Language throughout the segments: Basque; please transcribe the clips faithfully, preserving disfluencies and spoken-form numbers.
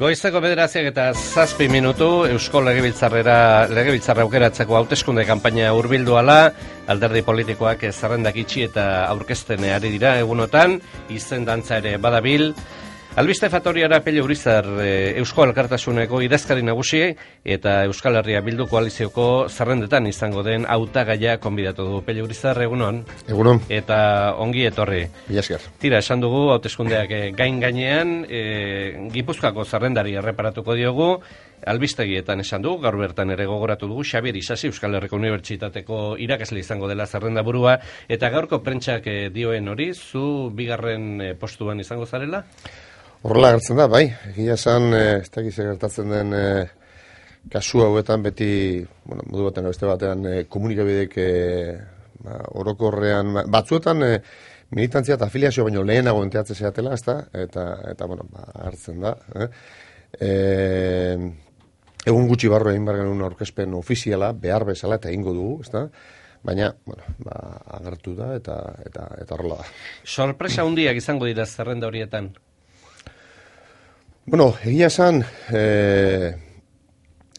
Goizeko bederatziak eta zazpi minutu Eusko Legebiltzarrera Legebiltzarra aukeratzeko hauteskunde kanpaina hurbildu ala, alderdi politikoak zerrendak itxi eta aurkezten ari dira egunotan, izen dantza ere badabil. Albiste Fatoriara Pello Urizar Eusko Alkartasuneko idazkari nagusi eta Euskal Herria Bildu koalizioko zerrendetan izango den hautagaia konbidatu du. Pello Urizar, egunon. Egunon. Eta ongi etorri. Mila esker. Tira, esan dugu hauteskundeak gain gainean, e, Gipuzkoako zerrendari erreparatuko diogu, albistegietan esan dugu, gaur bertan ere gogoratu dugu, Xabier Isasi Euskal Herriko Unibertsitateko irakasle izango dela zerrenda burua, eta gaurko prentsak dioen hori, zu bigarren postuan izango zarela? Horrela gertzen da, bai. Egia esan, ez da gize gertatzen den e, kasu hauetan beti, bueno, modu batean beste batean, e, komunikabidek e, ba, orokorrean, batzuetan e, militantzia eta afiliazio baino lehenago enteatzen zeatela, ez da? Eta, eta bueno, ba, hartzen da. Eh? E, egun gutxi barru egin behar genuen aurkezpen ofiziala, behar bezala eta egingo dugu, ez da? Baina, bueno, ba, agertu da eta eta eta horrela da. Sorpresa handiak izango dira zerrenda horietan? Bueno, egia esan, e,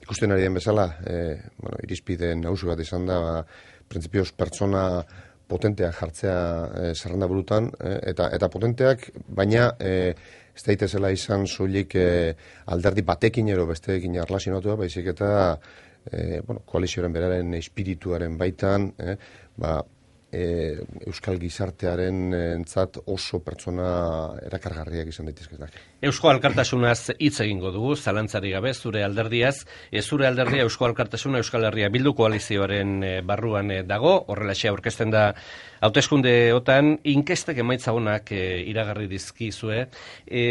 ikusten ari den bezala, e, bueno, irizpide nagusi bat izan da, ba, printzipioz pertsona potenteak jartzea e, zerrenda burutan, e, eta eta potenteak, baina e, ez daitezela izan soilik e, alderdi batekin ero besteekin erlazionatua, baizik eta e, bueno, koalizioaren beraren espirituaren baitan, e, ba, E, Euskal gizartearen entzat oso pertsona erakargarriak izan daitezkenak. Eusko Alkartasunaz hitz egingo dugu, zalantzari gabe, zure alderdiaz, e, zure alderdia Eusko Alkartasuna Euskal Herria Bildu koalizioaren e, barruan e, dago, horrelaxe aurkezten da hauteskundeotan, inkestek emaitza honak e, iragarri dizkizue. E,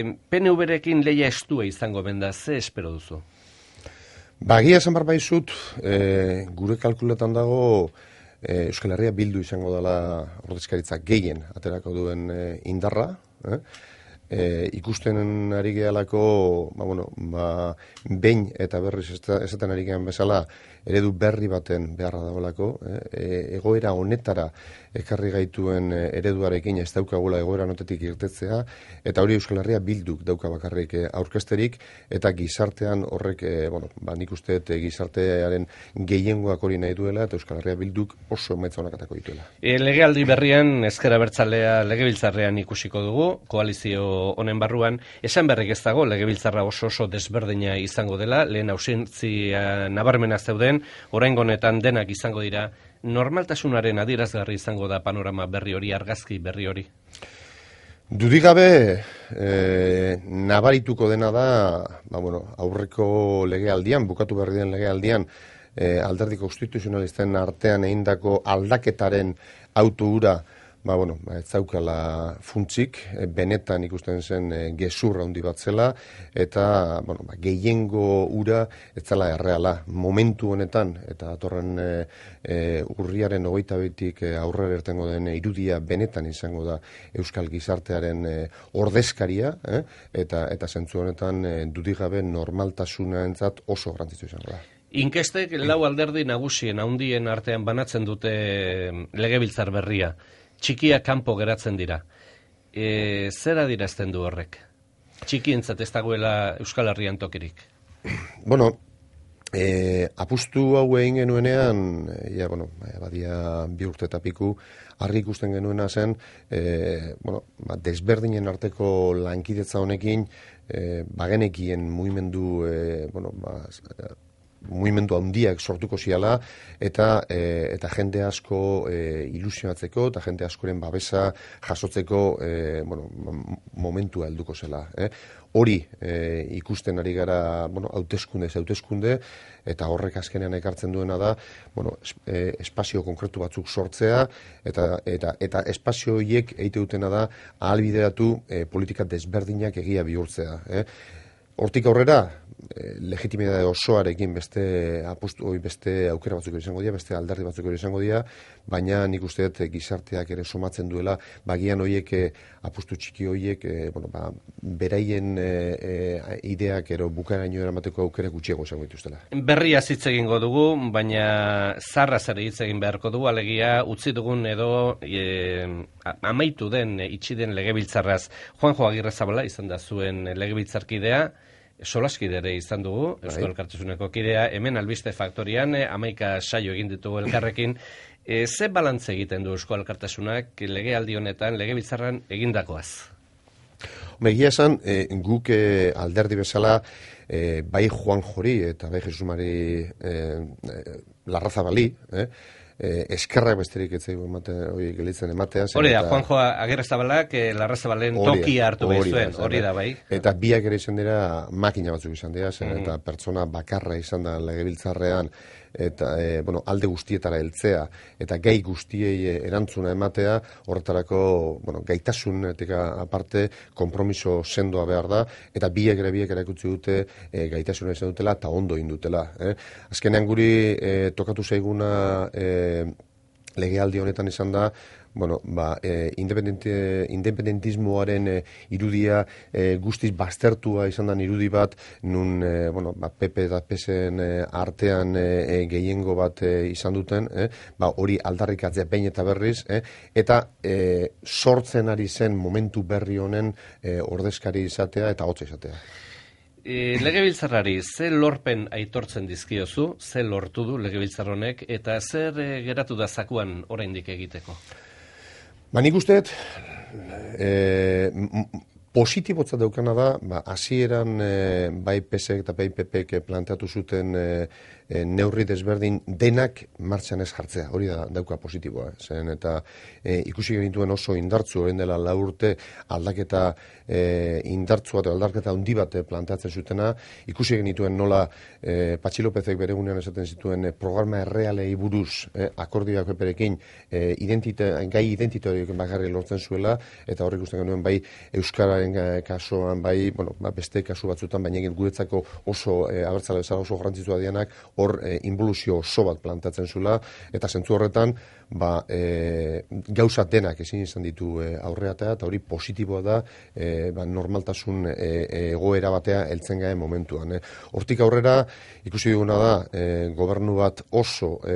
P N V-rekin lehia estua izango benda, ze espero duzu? Bagia esan bar baizut, e, gure kalkuletan dago, Euskal Herria Bildu izango dela ordezkaritza gehien aterako duen e, indarra, eh? e, ikusten ari gehalako, ba, bueno, ba, behin eta berriz esaten ari gehan bezala, eredu berri baten beharra dagoelako, eh? e, egoera honetara ekarri gaituen ereduarekin ez daukagula egoera notetik irtetzea, eta hori Euskal Herria Bilduk dauka bakarrik aurkezterik, eta gizartean horrek, e, bueno, ba, nik usteet gizartearen gehiengoak hori nahi duela, eta Euskal Herria Bilduk oso emaitza honak atako dituela. E, legealdi berrian, ezker abertzalea legebiltzarrean ikusiko dugu, koalizio honen barruan, esan berrik ez dago, legebiltzarra oso oso desberdina izango dela, lehen ausentzia nabarmena zeuden, oraingo honetan denak izango dira, normaltasunaren adierazgarri izango da panorama berri hori, argazki berri hori? Dudigabe, e, nabarituko dena da, ba, bueno, aurreko legealdian, bukatu berri den legealdian, e, alderdi konstituzionalisten artean egindako aldaketaren auto hura, ba, bueno, ba, ez zaukala funtzik, e, benetan ikusten zen e, gezurra handi bat zela, eta bueno, ba, gehiengo ura ez zela erreala. Momentu honetan, eta atorren e, e, urriaren hogeita bitik e, aurrera irtengo den irudia benetan izango da Euskal gizartearen e, ordezkaria, eh? eta eta zentzu honetan e, dudigabe normaltasuna entzat oso garrantzitsu izango da. Inkestek lau alderdi nagusien handien artean banatzen dute legebiltzar berria. Txikia kanpo geratzen dira. E, zer adierazten du horrek? Txikientzat ez dagoela Euskal Herrian tokirik? Bueno, e, apustu hau egin genuenean, ja, bueno, badia bi urte eta piku, argi ikusten genuena zen, e, bueno, ba, desberdinen arteko lankidetza honekin, e, bagenekien mugimendu, e, bueno, ba, mugimendu handiak sortuko ziala, eta e, eta jende asko e, ilusionatzeko, eta jende askoren babesa jasotzeko e, bueno, momentua helduko zela. Eh? Hori e, ikusten ari gara, bueno, hauteskunde ez hauteskunde, eta horrek azkenean ekartzen duena da, bueno, e, espazio konkretu batzuk sortzea, eta eta eta espazio horiek eite dutena da ahalbideratu e, politika desberdinak egia bihurtzea. Eh? Hortik aurrera, e, legitimidade osoarekin beste apustu, beste aukera batzuk izango dira, beste alderdi batzuk izango dira, baina nik uste dut gizarteak ere somatzen duela, bagian horiek apustu txiki horiek, e, bueno, ba, beraien e, e, ideak ero bukaeraino eramateko aukera gutxiago izango dituztela. Berria hitz egingo dugu, baina zarraz ere hitz egin beharko dugu, alegia utzi dugun edo e, amaitu den, itxi den legebiltzarraz. Juanjo Agirrezabala izan da zuen legebiltzarkidea, solaskide ere izan dugu, Eusko Alkartasuneko kidea, hemen albiste faktorian, hamaika saio egin ditugu elkarrekin. E, ze balantze egiten du Eusko Alkartasunak legealdi honetan, legebiltzarran egindakoaz? Egia esan, e, guk e, alderdi bezala, e, bai Juan Jori eta bai Jesus Mari e, e, Larrazabali, eh? E, eskerrak besterik etzaigu emate, hori gelitzen ematea. Hori da, Juanjo Agirrezabalak e, Larrazabalen tokia hartu behar zuen, hori da, bai. Eta biak ere izan dira, makina batzuk izan dira, zen, mm. eta pertsona bakarra izan da legebiltzarrean, eta e, bueno, alde guztietara heltzea eta gai guztiei erantzuna ematea, horretarako bueno, gaitasunetik aparte konpromiso sendoa behar da, eta biek ere biek erakutsi dute e, gaitasuna izan dutela eta ondo indutela. Eh? Azkenean guri e, tokatu zaiguna e, legealdi honetan izan da, bueno, ba, e, independentismoaren e, irudia e, guztiz baztertua izan da irudi bat, nun e, bueno, ba, P P eta P S en e, artean e, gehiengo bat e, izan duten, eh? Ba, hori aldarrikatzea behin eta berriz, eh? eta e, sortzen ari zen momentu berri honen e, ordezkari izatea eta hotza izatea. E, legebiltzarrari, ze lorpen aitortzen dizkiozu, ze lortu du legebiltzar honek, eta zer e, geratu da zakuan oraindik egiteko? Ba, nik usteet, e, positibotzat daukana da, ba, hasieran e, bai P S ek eta bai P P ek planteatu zuten e, e, neurri desberdin denak martxan ez jartzea, hori da dauka positiboa. Zen, eta e, ikusi genituen oso indartzu, orain dela lau urte aldaketa e, indartzua eta aldaketa handi bat planteatzen zutena, ikusi genituen nola e, Patxi Lopezek bere gunean esaten zituen e, programa errealei buruz e, akordioak peperekin e, identite, gai identitarioak bakarri lortzen zuela, eta horrek ikusten genuen bai Euskararen kasuan, bai bueno, ba, beste kasu batzutan, baina guretzako oso e, abertzale bezala oso garrantzitsua dianak, hor e, involuzio oso bat plantatzen zuela, eta zentzu horretan ba, e, gauza denak ezin izan ditu e, aurreatea, eta hori positiboa da e, ba, normaltasun e, egoera batea heltzen gaen momentuan. E. Hortik aurrera ikusi duguna da e, gobernu bat oso e,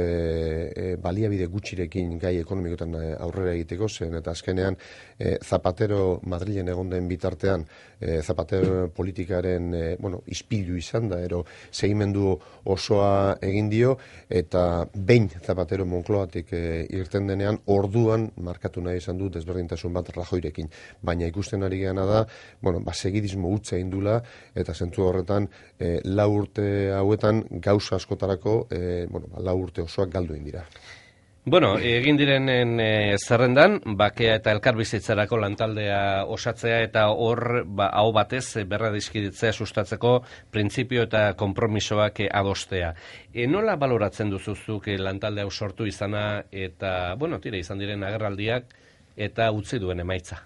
e, baliabide gutxirekin gai ekonomikotan aurrera egiteko zen, eta azkenean e, Zapatero Madrilen egon den bitartean e, Zapatero politikaren e, bueno, ispilu izan da, ero segimendu osoa egin dio, eta behin Zapatero Moncloatik e, irten denean, orduan markatu nahi izan du desberdintasun bat Rajoirekin. Baina ikusten ari geana da, bueno, ba, segidismo hutsa indula, eta zentzu horretan, e, lau urte hauetan gauza askotarako, e, bueno, ba, lau urte osoak galdu indira. Bueno, egin direnen e, zerrendan, bakea eta elkarbizitzarako lantaldea osatzea eta hor ba, hau batez berra dizkiditzea sustatzeko printzipio eta konpromisoak adostea. E, nola baloratzen duzuzuk e, lantalde hau sortu izana eta, bueno, tira izan diren agerraldiak eta utzi duen emaitza?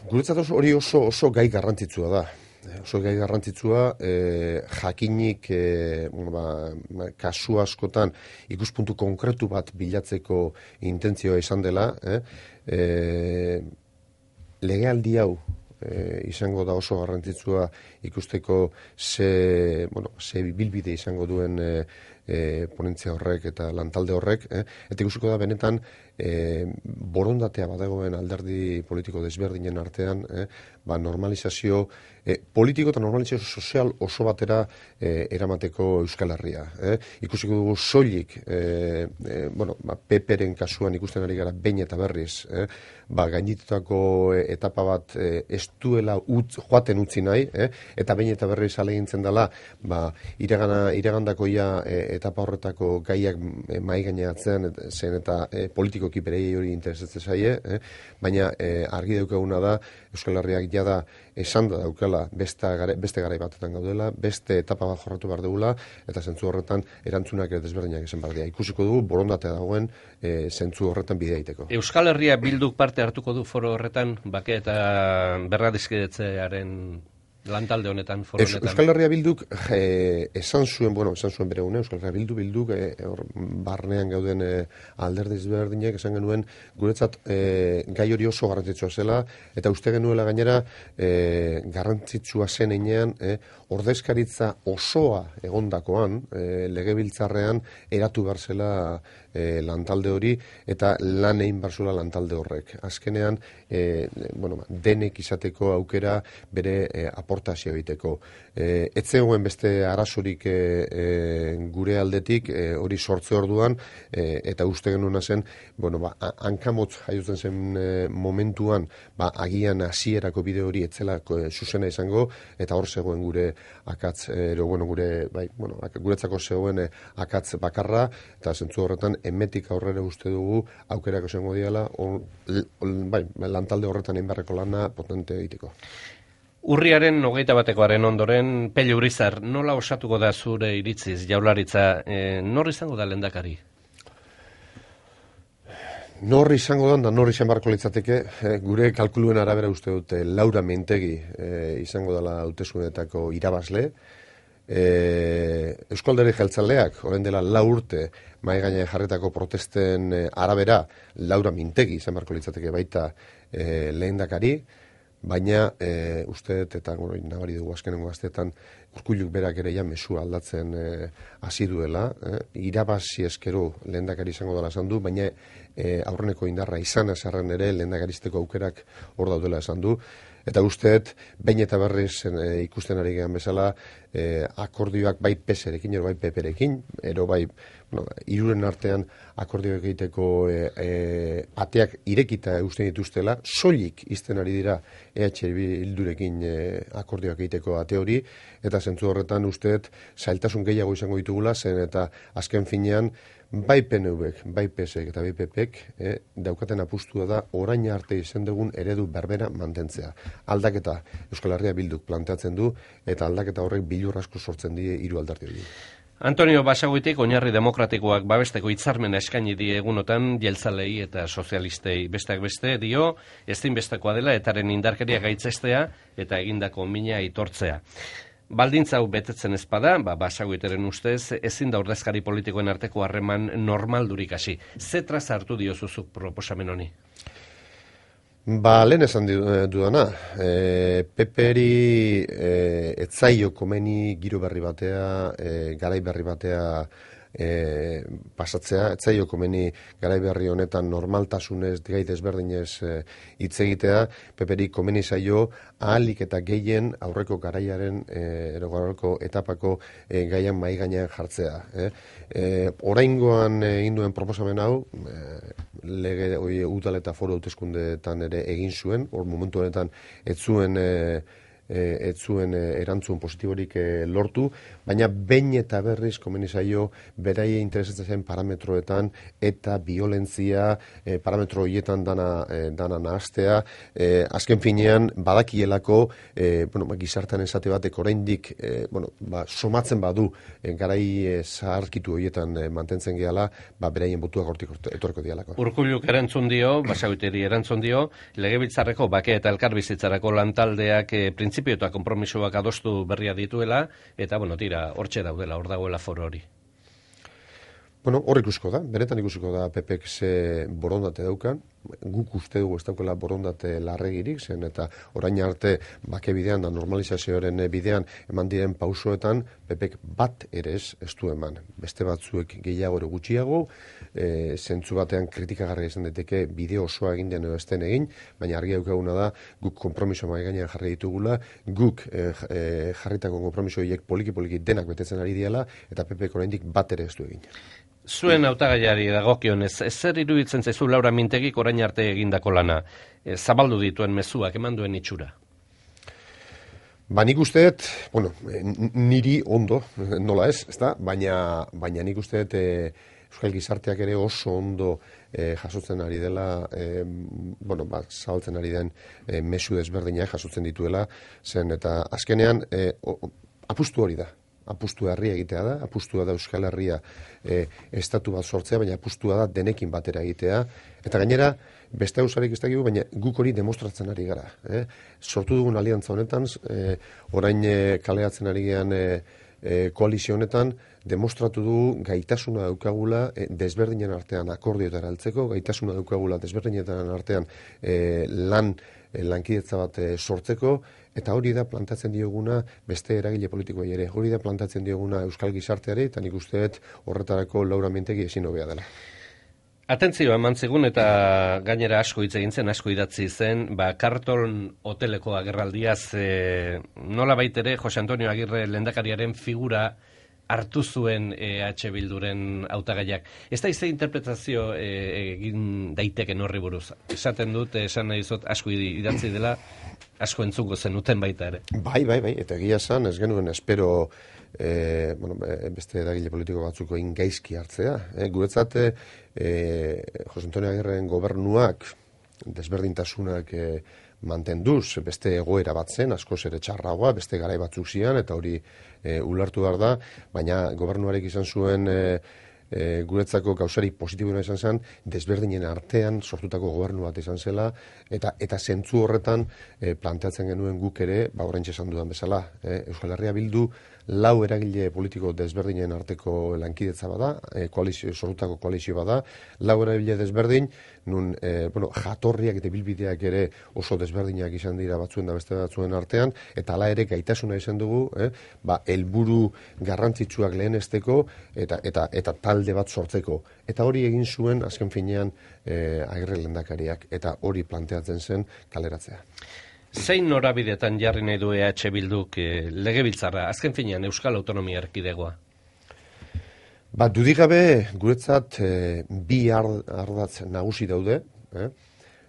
Guretzat hori oso, oso gai garrantzitsua da. Oso gai garrantzitsua, e, jakinik e, ba, kasu askotan ikuspuntu konkretu bat bilatzeko intentzioa izan dela, eh? e, legealdi hau e, izango da oso garrantzitsua ikusteko ze, bueno, ze bilbide izango duen e, e, ponentzia horrek eta lantalde horrek, eh? Eta ikusiko da benetan e, borondatea badagoen alderdi politiko desberdinen artean, eh? Ba, normalizazio e, politiko eta normalizazio sozial oso batera e, eramateko Euskal Herria. Eh? Ikusiko dugu soilik, e, e, bueno, ba, P P-ren kasuan ikusten ari gara behin eta berriz, eh? Ba, gainditutako etapa bat e, ez duela utz, joaten utzi nahi, eh? Eta behin eta berriz alegintzen dela, ba, iregana, iregandako ia e, etapa horretako gaiak e, mai gaineatzen zen eta e, politikoki berei hori interesatzen zaie, eh? Baina e, argi daukaguna da Euskal Herriak jada esan da daukala beste garai, beste garai batetan gaudela, beste etapa bat jorratu behar dugula, eta zentzu horretan erantzunak ere desberdinak izan behar dira. Ikusiko dugu borondatea dagoen e, zentzu horretan bidea egiteko. Euskal Herria Bilduk parte hartuko du foro horretan, bake eta berra dizkidetzearen lantalde honetan, foro honetan. Euskal Herria Bilduk e, esan zuen, bueno, esan zuen bere une, Euskal Herria Bildu Bilduk e, or, barnean gauden e, alderdi ezberdinek esan genuen guretzat e, gai hori oso garrantzitsua zela, eta uste genuela gainera e, garrantzitsua zen einean e, ordezkaritza osoa egondakoan e, legebiltzarrean eratu behar zela e, lantalde hori, eta lan egin barzula lantalde horrek. Azkenean, e, bueno, denek izateko aukera bere e, aportazio egiteko. E, etzegoen beste arazorik e, e, gure aldetik e, hori sortze orduan, e, eta uste genuna zen, bueno, ba, hankamotz jaiotzen zen e, momentuan, ba, agian hasierako bide hori etzela e, zuzena izango, eta hor zegoen gure akatz, ero, bueno, gure, bai, bueno, guretzako zegoen e, akatz bakarra, eta zentzu horretan, emetik aurrera uste dugu, aukerako zengo diala, on, on, bai, lantalde horretan enbarreko lana potente egiteko. Urriaren hogeita batekoaren ondoren, Pello Urizar, nola osatuko da zure iritziz, Jaurlaritza, e, nor izango da lehendakari? Nor izango da, nor izan barko litzateke, e, gure kalkuluen arabera uste dute Laura Mintegi e, izango dela hauteskundeetako irabazle. E, Eusko Alderdi Jeltzaleak, orain dela lau urte, mahai gainean jarretako protesten e, arabera, Laura Mintegi izan barko litzateke baita e, lehendakari, baina e, uste dut, eta bueno, nabari dugu azkenengo gaztetan, Urkulluk berak ere ja mesua aldatzen e, hasi duela, e, irabazi eskero lehendakari izango dela esan du, baina e, aurreneko indarra izan azarren ere lehendakaristeko aukerak hor daudela esan du, eta usteet, behin eta berriz e, ikusten ari gehan bezala, e, akordioak bai P S erekin, ero bai P P erekin, ero bai, bueno, iruren artean akordioak egiteko e, e, ateak irekita usten dituztela, soilik izten ari dira E H Bildurekin e, akordioak egiteko ate hori, eta zentzu horretan usteet zailtasun gehiago izango ditugula, zen eta azken finean, bai P N Vek, bai P S ek eta bai P Pek eh, daukaten apustua da orain arte izan dugun eredu berbera mantentzea. Aldaketa Euskal Herria Bilduk planteatzen du eta aldaketa horrek bilur asko sortzen die hiru alderdi hori. Antonio Basagoitik oinarri demokratikoak babesteko hitzarmena eskaini die egunotan jeltzalei eta sozialistei, besteak beste dio ezinbestekoa dela etaren indarkeria gaitzestea eta egindako mina aitortzea. Baldintza hau betetzen ezpada, ba, Basagoiteren ustez, ezin da ordezkari politikoen arteko harreman normaldurik hasi. Zetraz hartu diozuzuk proposamen honi? Ba, lehen esan dudana, e, Peperi e, etzaio komeni giro berri batea, e, garai berri batea E, pasatzea, etzaio komeni garai berri honetan normaltasunez, gai desberdinez hitz e, egitea, Peperi komeni zaio ahalik eta gehien aurreko garaiaren, e, aurreko etapako e, gaian mai gainean jartzea. E. E, oraingoan egin duen proposamen hau, e, lege oi, udal eta foru hauteskundeetan ere egin zuen, hor momentu honetan ez zuen e, ez zuen erantzun positiborik lortu, baina behin eta berriz komeni zaio beraie interesatzen zen parametroetan eta violentzia parametro horietan dana, dana nahastea. E, azken finean badakielako e, bueno, gizartean esate batek oraindik e, bueno, ba, somatzen badu e, garai e, zaharkitu horietan e, mantentzen gehala, ba, beraien botuak hortik etorko dialako. Urkulluk erantzun dio, Basagoiteri erantzun dio, Legebiltzarreko bake eta elkarbizitzarako lantaldeak e, printzipio eta konpromisoak adostu berria dituela, eta, bueno, tira, hortxe daudela, hor dagoela foro hori. Bueno, hor ikusiko da, benetan ikusiko da P Pek ze borondate daukan, guk uste dugu ez daukela borondate larregirik, zen eta orain arte bake bidean da normalizazioaren bidean eman diren pausoetan P Pek bat ere ez ez du eman. Beste batzuek gehiago ere gutxiago, e, zentzu batean kritikagarria izan daiteke bide osoa egin den edo ezten egin, baina argi daukaguna da guk konpromiso mahai gainean jarri ditugula, guk e, e, jarritako konpromiso horiek poliki-poliki denak betetzen ari diela, eta P Pek oraindik bat ere ez du egin. Zuen hautagaiari dagokionez, zer iruditzen zaizu Laura Mintegik orain arte egindako lana? E, zabaldu dituen mezuak, eman duen itxura? Ba, nik usteet, bueno, niri ondo, nola ez, ezta? Baina, baina nik usteet e, Euskal Gizarteak ere oso ondo e, jasotzen ari dela, e, bueno, ba, zabaltzen ari den e, mezu desberdinak jasotzen dituela, zen eta azkenean e, o, apustu hori da. Apustua herria egitea da, apustua da Euskal Herria e, estatu bat sortzea, baina apustua da denekin batera egitea, eta gainera, beste hausarik ez dakigu, baina guk hori demostratzen ari gara. Eh? Sortu dugun aliantza honetan, e, orain e, kaleatzen ari gean e, e, koalizio honetan, demostratu du gaitasuna daukagula e, desberdinen artean akordioetara heltzeko, gaitasuna daukagula desberdinen artean e, lan e, lankidetza bat e, sortzeko, eta hori da plantatzen dioguna beste eragile politikoei ere. Hori da plantatzen dioguna Euskal Gizarteari, eta nik usteet horretarako Laura Mintegi ezin hobea dela. Atentzioa eman zigun eta gainera asko hitz egin zen, asko idatzi zen, ba, Karton hoteleko agerraldiaz, e, nola baitere Jose Antonio Agirre lehendakariaren figura hartu zuen E H Bilduren hautagaiak. Ez da izte interpretazio e, egin daiteken horri buruz. Esaten dut, esan nahi zut, asko idatzi dela, asko entzuko zenuten baita ere. Bai, bai, bai, eta egia esan, ez genuen espero e, bueno, beste edagile politiko batzuko ingaizki hartzea. E, guretzat, e, Jose Antonio Agirren gobernuak desberdintasunak e, mantenduz, beste egoera bat zen, askoz ere txarragoa, beste garai batzuk zian, eta hori e, ulertu behar da, baina gobernuarek izan zuen e, e, guretzako gauzari positiboena izan zen, desberdinen artean sortutako gobernu bat izan zela, eta eta zentzu horretan e, planteatzen genuen guk ere, ba oraintxe esan dudan bezala, e, Euskal Herria Bildu lau eragile politiko desberdinen arteko lankidetza bada, e, koalizio, sortutako koalizio bada, lau eragile desberdin, nun, e, bueno, jatorriak eta bilbideak ere oso desberdinak izan dira batzuen da beste batzuen artean, eta hala ere gaitasuna izan dugu, eh, ba, helburu garrantzitsuak lehenesteko eta, eta, eta talde bat sortzeko. Eta hori egin zuen, azken finean, e, Agirre lehendakariak, eta hori planteatzen zen kaleratzea. Zein norabidetan jarri nahi du E H Bilduk e, legebiltzarra, azken finean Euskal Autonomia Erkidegoa? Ba, dudigabe, guretzat e, bi ardatz nagusi daude, eh?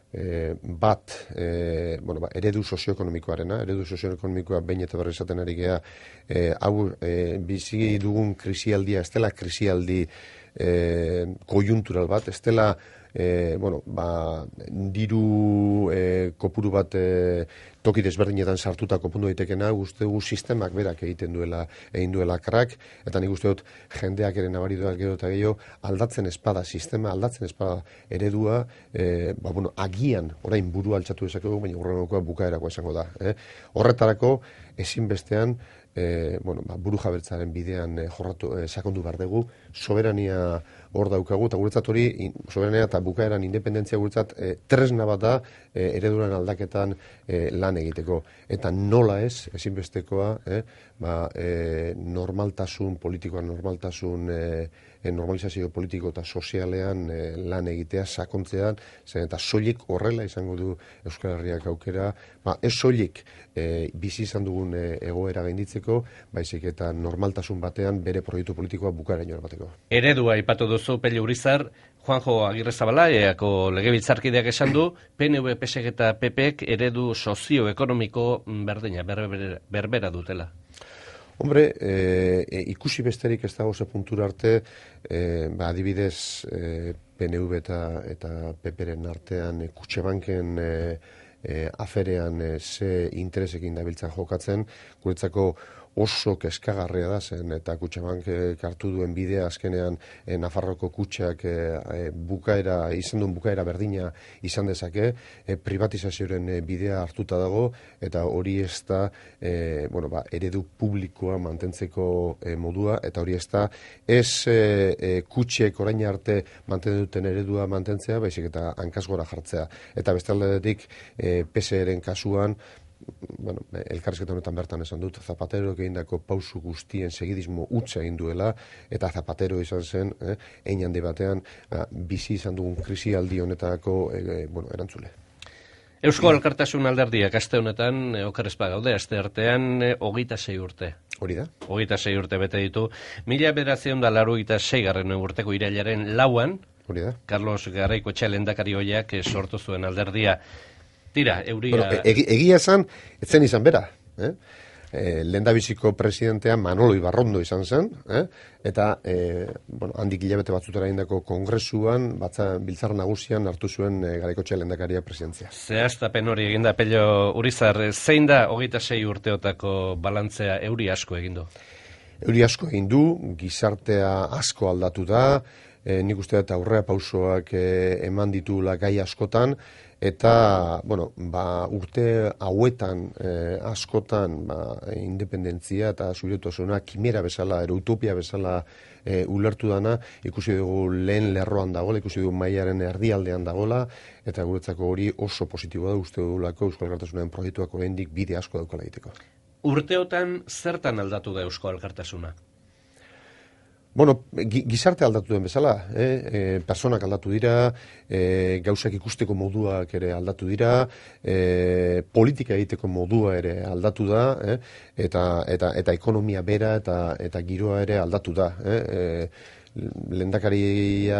E, bat, e, bueno, ba, eredu sozioekonomikoarena, eredu sozioekonomikoa behin eta berri esaten ari gea, e, hau e, bizi dugun krisialdia, ez dela krisialdi e, kojuntural bat, ez dela E, bueno, ba, diru e, kopuru bat e, toki desberdinetan sartuta kopundu daitekena, uste dugu sistemak berak egiten duela, egin duela krak, eta nik uste dut jendeak ere nabari duak gero eta gehiago aldatzen espada, sistema aldatzen espada eredua, e, ba, bueno, agian, orain burua altxatu dezakegu, baina urrengokoa bukaerako esango da. Eh? Horretarako, ezinbestean, E, bueno, ba, buru jabertzaren bidean e, jorratu, e, sakondu behar dugu, soberania hor daukagu, eta guretzat hori, in, soberania eta bukaeran independentzia guretzat e, tresna bat da e, ereduran aldaketan e, lan egiteko. Eta nola ez, ezinbestekoa, e, ba, e, normaltasun politikoa, normaltasun e, e, normalizazio politiko eta sozialean e, lan egitea, sakontzean, zen eta soilik horrela izango du Euskal Herriak aukera, ba, ez soilik e, bizi izan dugun e, egoera gainditzeko, baizik eta normaltasun batean bere proiektu politikoa bukaeraino bateko. Eredua aipatu duzu Pello Urizar, Juanjo Agirrezabala, eako legebiltzarkideak esan du, P N V, P S eta P Pek eredu sozioekonomiko berdina, berbera, berbera dutela. Hombre, e, e, ikusi besterik ez dago ze puntura arte, e, ba, adibidez e, P N V eta, eta P Pren artean e, Kutxebanken e, e, aferean e, ze interesekin dabiltzan jokatzen, guretzako oso keskagarria da zen, eta Kutxabank hartu duen bidea azkenean e, Nafarroko kutxak e, e, bukaera, izan duen bukaera berdina izan dezake, e, privatizazioaren e, bidea hartuta dago, eta hori ez da e, bueno, ba, eredu publikoa mantentzeko e, modua, eta hori ez da ez e, e, kutxek orain arte mantendu duten eredua mantentzea, baizik eta hankasgora jartzea. Eta bestaldetik e, P S eren kasuan, bueno, elkarrizketa honetan bertan esan dut, Zapatero egindako pausu guztien segidismo hutsa egin duela, eta Zapatero izan zen, eh, hein handi batean, eh, bizi izan dugun krisialdi honetako eh, bueno, erantzule. Eusko Alkartasun alderdiak aste honetan, e, okerrezpa gaude, aste artean, e, hogeita sei urte. Hori da? Hogeita sei urte bete ditu. Mila bederatziehun eta laurogeita sei garren urteko irailaren lauan, hori da? Carlos Garaikoetxea lehendakari ohiak e, sortu zuen alderdia. Tira, euria... Bueno, egi, egia esan, etzen izan bera. Eh? E, lehendabiziko presidentea Manolo Ibarrondo izan zen, eh? eta e, bueno, handik hilabete batzutera indako kongresuan, batza biltzar nagusian hartu zuen e, Garaikoetxea lehendakaria presidentzia. Zehaztapen hori eginda, Pello Urizar, zein da hogeita sei urteotako balantzea euri asko egin du? Euri asko egin du, gizartea asko aldatu da, e, nik uste eta aurrea pausoak e, eman ditula gai askotan, eta, bueno, ba, urte hauetan eh, askotan ba, independentzia eta subirautasuna kimera bezala, ero utopia bezala eh, ulertu dana, ikusi dugu lehen lerroan dagoela, ikusi dugu mailaren erdialdean dagoela, eta guretzako hori oso positiboa da uste dugulako Euskal Alkartasunaren proiektuak oraindik bide asko daukala egiteko. Urteotan zertan aldatu da Eusko Alkartasuna? Bueno, gizarte aldatu den bezala, eh? E, personak aldatu dira, e, gauzak ikusteko moduak ere aldatu dira, e, politika egiteko modua ere aldatu da, eh? eta, eta, eta ekonomia bera eta, eta giroa ere aldatu da. Eh? E, Lehendakaria,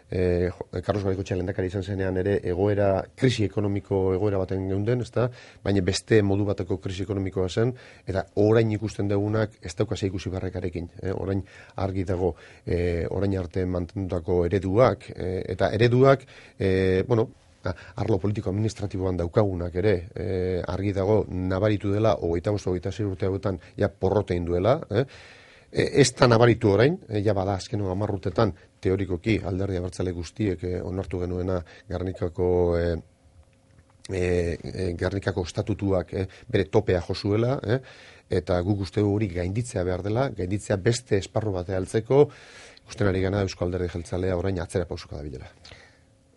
eh, Carlos Garaikoetxea lehendakari izan zenean ere egoera, krisi ekonomiko egoera baten geunden, ezta? Baina beste modu bateko krisi ekonomikoa zen, eta orain ikusten dugunak ez dauka ikusi barrekarekin. Eh? Orain argi dago, eh, orain arte mantendutako ereduak, eh, eta ereduak, eh, bueno, arlo politiko administratiboan daukagunak ere, eh, argi dago nabaritu dela, hogeita bost, hogeita sei urte hauetan, ja porrotein duela, eh? Ez da nabaritu orain, e, ja bada azkeno amarrutetan, teorikoki alderdi abertzale guztiek e, onartu genuena Gernikako e, e, Gernikako estatutuak e, bere topea josuela, e, eta guk uste hori gainditzea behar dela, gainditzea beste esparru batea altzeko, usten ari gana Eusko Alderdi Jeltzalea orain atzera pausuka da bilela.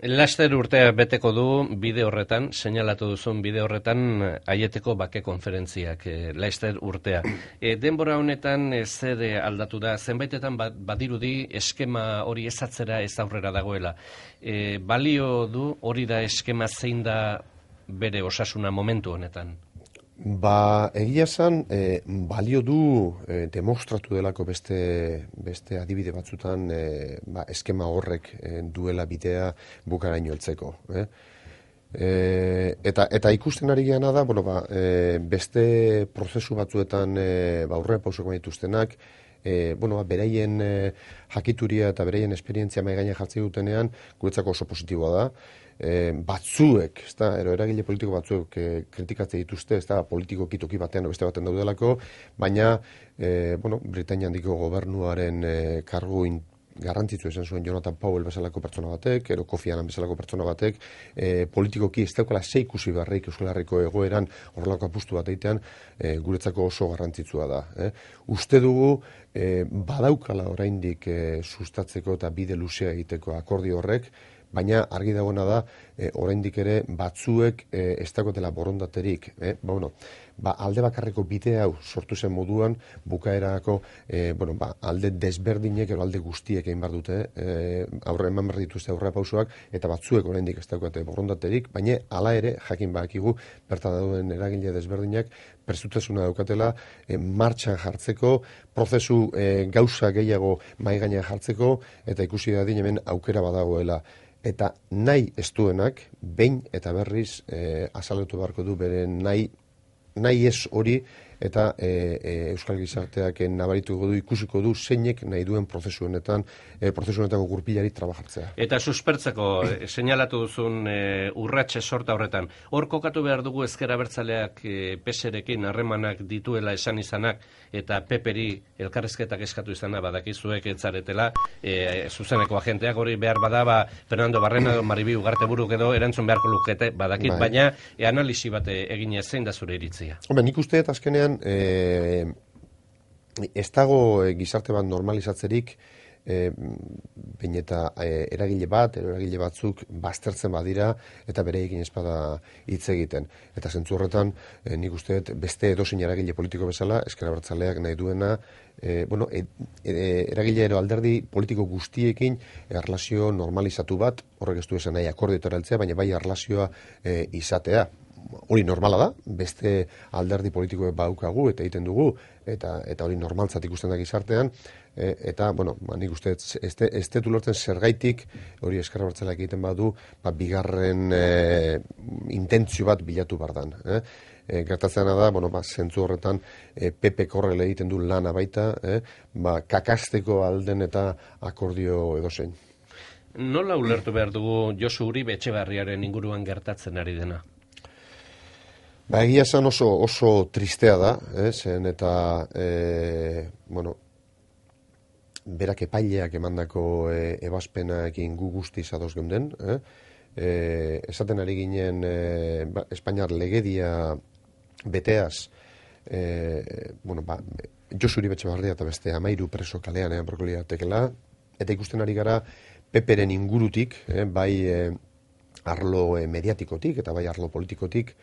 Laster urtea beteko du bide horretan, seinalatu duzun bide horretan Aieteko bake konferentziak, e, Laster urtea. E, denbora honetan e, zer aldatu da, zenbaitetan badirudi eskema hori ezatzera ez aurrera dagoela. E, balio du hori da eskema zein da bere osasuna momentu honetan? Ba, egia esan, e, balio du e, demostratu delako beste, beste adibide batzutan e, ba, eskema horrek e, duela bidea bukaraino heltzeko. Eh? E, eta, eta ikusten ari geana da, bueno, ba, e, beste prozesu batzuetan e, ba, aurrera pausoko dituztenak, E, bueno, ba, beraien e, jakituria eta beraien esperientzia mai gainean jartzen dutenean guretzako oso positiboa da. E, batzuek, ezta, ero eragile politiko batzuek e, kritikatze dituzte, ezta, politikoki toki batean o beste baten daudelako, baina e, bueno, Britainia handiko gobernuaren e, kargu in, garrantzitsu esan zuen Jonathan Powell bezalako pertsona batek, ero Kofi Annan bezalako pertsona batek, e, politikoki ez daukala sei ikusi beharrik Euskal Herriko egoeran horrelako apustu bat egitean e, guretzako oso garrantzitsua da. Eh? Uste dugu e, badaukala oraindik e, sustatzeko eta bide luzea egiteko akordio horrek, baina argi dagoena da e, oraindik ere batzuek e, ez dagoetela borondaterik. Eh? Ba, bueno, ba, alde bakarreko bide hau sortu zen moduan bukaerako e, bueno, ba, alde desberdinek edo alde guztiek egin behar dute e, aurre eman behar dituzte aurrera pausoak eta batzuek oraindik ez dagoete borondaterik, baina hala ere jakin badakigu bertan dauden eragile desberdinak prestutasuna daukatela e, martxan jartzeko, prozesu e, gauza gehiago mai gainean jartzeko eta ikusi dadin hemen aukera badagoela. Eta nahi ez duenak, behin eta berriz e, azaletu beharko du bere nahi, nahi ez hori eta e, e, Euskal Gizarteak nabarituko du, ikusiko du zeinek nahi duen prozesu honetan, e, prozesu honetako gurpilari trabajartzea. Eta suspertzeko, e, seinalatu duzun e, urratxe sorta horretan, hor kokatu behar dugu ezker abertzaleak e, P S rekin harremanak dituela esan izanak, eta Peperi elkarrezketak eskatu izana badakizuek etzaretela, e, zuzeneko agenteak hori behar badaba Fernando Barrena edo Maribi Ugarteburuk edo erantzun beharko lukete badakit, bai. Baina e, analisi bat egin zein da zure iritzia. Hombre, nik uste eta azkenean E, ez dago e, gizarte bat normalizatzerik e, bain eta e, eragile bat, eragile batzuk baztertzen badira eta bereekin espada hitz egiten. Eta zentzu horretan, e, nik uste beste edozein eragile politiko bezala, Ezker Abertzaleak nahi duena, e, bueno, e, e, eragile ero alderdi politiko guztiekin erlazio normalizatu bat, horrek ez du esan nahi akordioetara heltzea, baina bai erlazioa e, izatea. Hori normala da, beste alderdi politikoek baukagu eta egiten dugu, eta eta hori normaltzat ikusten da gizartean, e, eta, bueno, ba, nik uste ez detu lortzen zergaitik, hori Ezker Abertzaleak egiten badu, ba, bigarren e, intentzio bat bilatu bardan. Eh? E, gertatzena da, bueno, ba, zentzu horretan e, P P korrele egiten du lana baita, eh? ba, kakasteko alden eta akordio edozein. Nola ulertu behar dugu Josu Uribe Etxebarriaren inguruan gertatzen ari dena? Ba, egia esan oso, oso tristea da, eh, zen eta, e, bueno, berak epaileak emandako e, ebazpenaekin gu guztiz ados geunden, eh? E, esaten ari ginen e, ba, Espainiar legedia beteaz, e, bueno, ba, Josu Uribe Etxebarria eta beste amairu preso kalean ean berkolia tekela, eta ikusten ari gara Peperen ingurutik, eh, bai e, arlo e, mediatikotik eta bai arlo politikotik,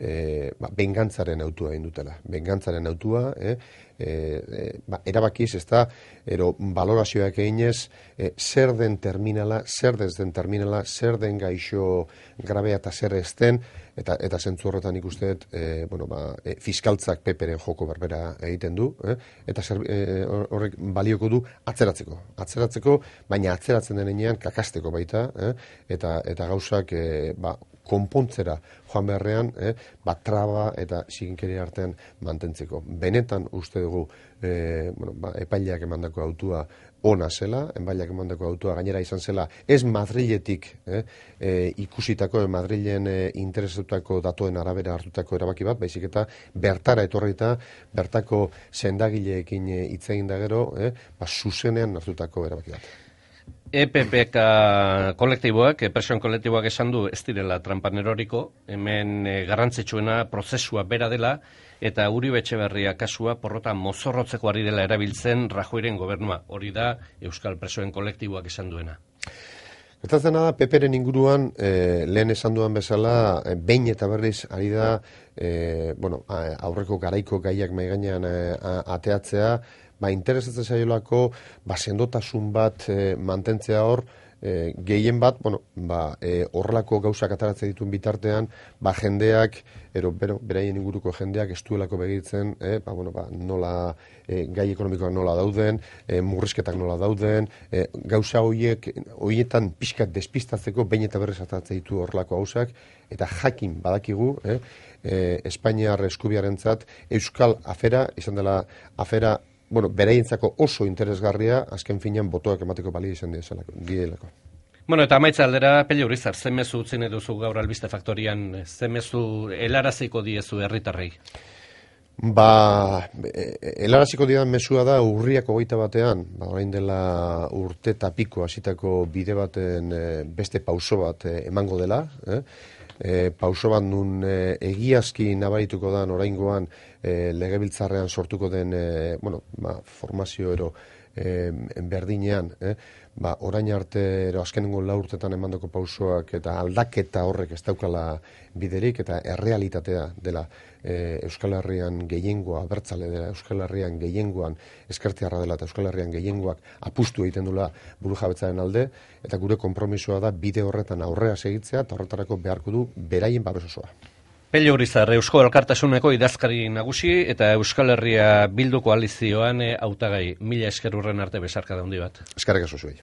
e, ba, bengantzaren autua egin dutela. Bengantzaren autua, eh? E, e, ba, erabakiz, ez da, ero valorazioak eginez, e, zer den terminala, zer ez den terminala, zer den gaixo grabea eta zer ez den, eta, eta zentzu horretan ikusteet, e, bueno, ba, e, fiskaltzak peperen joko berbera egiten du, eh? Eta zer, e, horrek balioko du atzeratzeko. Atzeratzeko, baina atzeratzen denean kakasteko baita, eh? eta, eta gauzak e, ba, konpontzera joan beharrean, eh, bat traba eta ziginkeri artean mantentzeko. Benetan uste dugu eh, bueno, ba, epaileak emandako autua ona zela, epaileak emandako autua gainera izan zela, ez Madriletik eh, eh, ikusitako, Madrilen eh, interesatutako datoen arabera hartutako erabaki bat, baizik eta bertara etorrita, bertako sendagileekin hitz egin da gero, eh, ba, zuzenean hartutako erabaki bat. E P P K kolektiboak, presioen kolektiboak esan du ez direla trampan eroriko, hemen e, garrantzitsuena prozesua bera dela, eta Uribe Etxeberria kasua porrota mozorrotzeko ari dela erabiltzen Rajoyren gobernua. Hori da Euskal Presoen kolektiboak esan duena. Gertatzen da, Peperen inguruan, e, lehen esan duan bezala, e, behin eta berriz ari da, e, bueno, aurreko garaiko gaiak maigainean e, ateatzea, ba, interesatzen zaiolako, ba, sendotasun bat e, mantentzea hor, e, gehien bat, bueno, ba, e, horrelako gauzak ataratzen dituen bitartean, ba, jendeak, ero, bero, beraien inguruko jendeak ez duelako begitzen, e, ba, bueno, ba, nola, e, gai ekonomikoak nola dauden, e, murrizketak nola dauden, e, gauza horiek, horietan pixkat despistatzeko, behin eta berriz ataratzen ditu horrelako gauzak, eta jakin badakigu, e, e, Espainiar eskubiarentzat, Euskal afera, izan dela afera, bueno, beraientzako oso interesgarria, azken finean botoak emateko balio izan dielako. Bueno, eta amaitza aldera, Pello Urizar, ze mezu utzi nahi duzu gaur Albiste Faktorian, ze mezu helaraziko diezu herritarrei? Ba, helaraziko dian mezua da urriak hogeita batean, ba, orain dela urte eta piko hasitako bide baten beste pauso bat emango dela, eh? E, pauso bat nun e, egiazki nabarituko dan oraingoan e, legebiltzarrean sortuko den e, bueno, ba, formazio ero e, berdinean, eh? Ba, orain arte ero azkenengo lau urtetan emandako pausoak eta aldaketa horrek ez daukala biderik eta errealitatea dela e, Euskal Herrian gehiengoa, abertzale dela Euskal Herrian gehiengoan eskertiarra dela eta Euskal Herrian gehiengoak apustu egiten dula burujabetzaren alde, eta gure konpromisoa da bide horretan aurrera segitzea eta horretarako beharko du beraien babes osoa. Pello Urizar, Eusko Alkartasuneko idazkari nagusi eta Euskal Herria Bildu koalizioan hautagai. Mila esker urren arte besarka da handi bat. Eskerrik asko zuei.